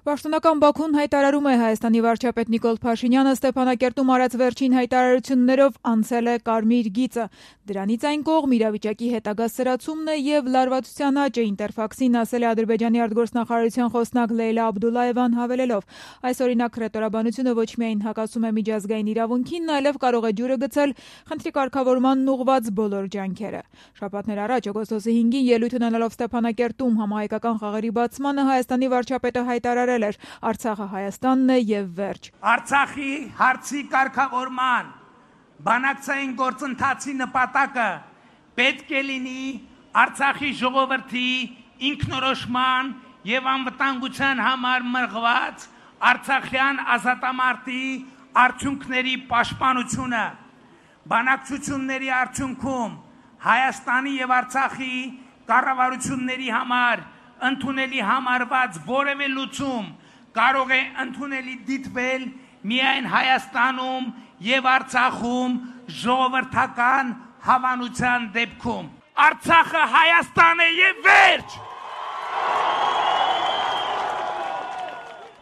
Պաշտոնական Բաքուն հայտարարում է Հայաստանի վարչապետ Նիկոլ Փաշինյանը Ստեփանակերտում արած վերջին հայտարարություններով անցել է կարմիր գիծը։ Դրանից այն կողմ իրավիճակի հետագա սրացումն է եւ լարվածության աճը Ինտերֆաքսին ասել է Ադրբեջանի արտգործնախարարության խոսնակ Լեյլա Աբդուլլաևան հավելելով. այս օրինակ հռետորաբանությունը ոչ միայն հակասում է միջազգային իրավունքին, այլև կարող է ջուրը գցել խնդրի կարգավորմանն ուղղված բոլոր ջանքերը։ Շաբաթներ առաջ օգոստոսի 5-ին ելույթ ունենալով Ստեփանակերտում համահայկական խաղերի բացմանը Հայաստանի վարչապետը հայտարարել էր. Արցախը Հայաստանն է եւ վերջ։ Արցախի հարցի կարգավորման բանակցային գործընթացի նպատակը պետք է լինի Արցախի ժողովրդի ինքնորոշման եւ անվտանգության համար մղված արցախյան ազատամարտի արդյունքների պաշտպանությունը։ Բանակցությունների արդյունքում Հայաստանի եւ Արցախի կառավարությունների համար ընդունելի համարված որևէ լուծում կարող է ընդունելի դիտվել միայն Հայաստանում եւ Արցախում ժողովրդական հավանության դեպքում։ Արցախը Հայաստան է եւ վերջ։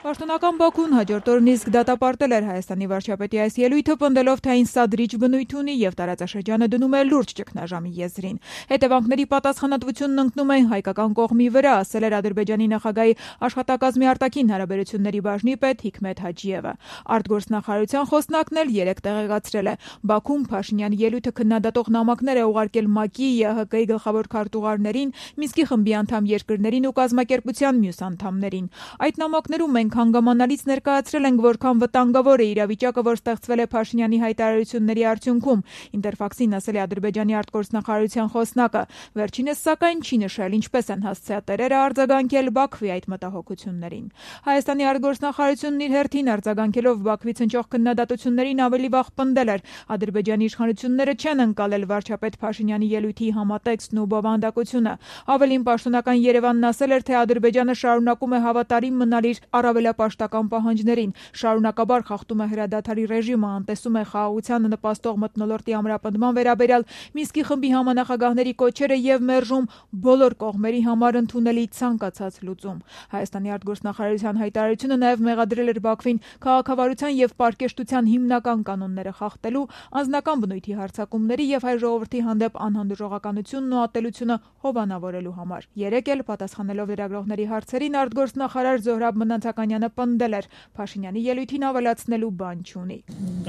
Պաշտոնական Բաքուն հաջորդ օրն իսկ դատապարտել էր Հայաստանի վարչապետի այս ելույթը, պնդելով, թե այն սադրիչ բնույթ ունի եւ տարածաշրջանը դնում է լուրջ ճգնաժամի եզրին։ Հետևանքների պատասխանատվությունն ընկնում է հայկական կողմի վրա, ասել էր Ադրբեջանի նախագահի աշխատակազմի արտաքին հարաբերությունների բաժնի պետ Հիքմեթ Հաջիևը։ Արտգործնախարարության խոսնակն էլ երեկ տեղեկացրել է. Բաքուն Փաշինյանի ելույթը քննադատող նամակներ է ուղարկել ՄԱԿ-ի, ԵՀԿ-ի գլխավոր քարտուղարներին, Մինսկի խմբի անդամ երկրներին ու կազմակերպության մյուս անդամներին։ Այդ նամակներում մենք հանգամանալից ներկայացրել ենք, որքան վտանգավոր է իրավիճակը, որ ստեղծվել է Փաշինյանի հայտարարությունների արդյունքում, Ինտերֆաքսին ասել է Ադրբեջանի արտգործնախարարության խոսնակը։ Վերջինս սակայն չի նշել ինչպես են հասցեատերերը արձագանքել Բաքվի այդ մտահոգություններին։ Հայաստանի արտգործնախարարությունն իր հերթին արձագանքելով Բաքվից հնչող քննադատություններին ավելի վաղ պնդել էր. Ադրբեջանի իշխանությունները չեն ընկալել վարչապետ Փաշինյանի ելույթի համատեքստն ու բովանդակությունը։ Ավելին պաշտոնական Երևանն ասել էր, թե Ադրբեջանը շարունակում է հավատարիմ մնալ իր առավելապաշտական պահանջներին, շարունակաբար խախտում է հրադադարի ռեժիմը, անտեսում է խաղաղությանը նպաստող մթնոլորտի ամրապնդման վերաբերյալ Մինսկի խմբի համանախագահների կոչերը եւ մերժում բոլոր կողմերի համար ընդունելի ցանկացած լուծում։ Հայաստանի արտգործնախարարության հայտարարությունը նաեւ մեղադրել էր Բաքվին քաղաքավարության եւ պարկեշտության հիմնական կանոնները խախտելու, անձնական բնույթի հարձակումների եւ հայ ժողովրդի հանդեպ անհանդուրժողականությունն ու ատելությունը հովանավորելու համար։ Երեկ էլ պատասխանելով լրագրողների հարցերին արտգործնախարար Զոհրաբ Մնացականյանը պնդել էր. Փաշինյանի ելույթին ավելացնելու բան չունի։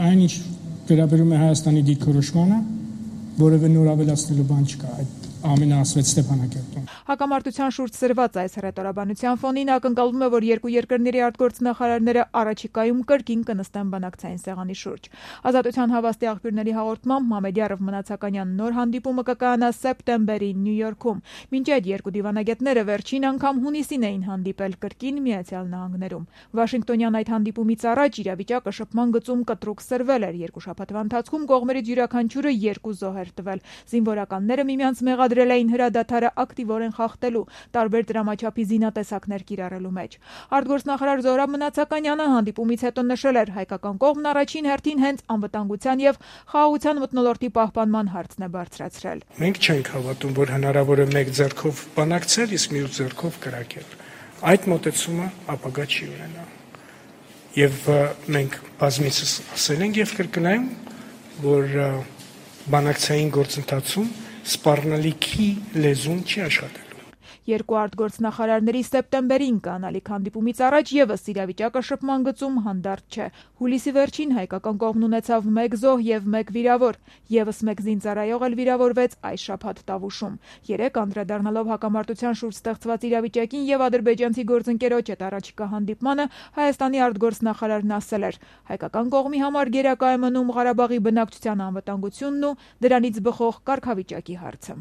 Այն ինչ վերաբերում է Հայաստանի դիրքորոշմանը, որևէ նոր ավելացնելու բան չկա։ Այդ ամենը ասվեց Ստեփանակերտում։ Հակամարտության շուրջ սրված այս հռետորաբանության ֆոնին ակնկալվում է, որ երկու երկրների արտգործնախարարները առաջիկայում կրկին կնստեն բանակցային սեղանի շուրջ։ Ազատության հավաստի աղբյուրների հաղորդմամբ Մամեդյարով Մնացականյան նոր հանդիպումը կկայանա սեպտեմբերին Նյու Յորքում։ Մինչ այդ երկու դիվանագետները վերջին անգամ հունիսին էին հանդիպել կրկին Միացյալ Նահանգներում։ Վաշինգտոնյան այդ հանդիպումից առաջ իրավիճակը շփման գծում կտրուկ սրվել էր։ Երկու շաբաթվա ընթացքում կողմերից յուրաքանչյուրը 2 զոհ էր տվել։ Զինվորականները միմյանց մեղադրել էին հրադադարը ակտիվորեն խախտելու, տարբեր դրամաչափի զինատեսակներ կիրառելու մեջ։ Արտգործնախարար Զոհրաբ Մնացականյանը հանդիպումից հետո նշել էր, հայկական կողմն առաջին հերթին հենց անվտանգության եւ խաղաղության մթնոլորտի պահպանման հարցն է բարձրացրել։ Մենք չենք հավատում, որ հնարավոր է մեկ ձեռքով բանակցել, իսկ մյուս ձեռքով կրակել։ Այդ մոտեցումը ապագա չի ունենա։ Եվ մենք բազմիցս ասել ենք եւ կրկնայում, որ բանակցային գործընթացում սպառնալիքի լեզուն չի աշխատելու։ Երկու արտգործնախարարների սեպտեմբերին կանալիք հանդիպումից առաջ եւս իրավիճակը շփման գծում հանդարտ չէ։ Հուլիսի վերջին հայկական կողմն ունեցավ 1 զոհ եւ 1 վիրավոր, եւս 1 զինծառայող էլ վիրավորվեց այս շաբաթ Տավուշում։ Երեկ անդրադառնալով հակամարտության շուրջ ստեղծված իրավիճակին եւ ադրբեջանցի գործընկերոջ հետ առաջիկա հանդիպմանը Հայաստանի արտգործնախարարն ասել էր. հայկական կողմի համար գերակա է մնում Ղարաբաղի բնակչության անվտանգությունն ու դրանից բխող կարգավիճակի հարցը։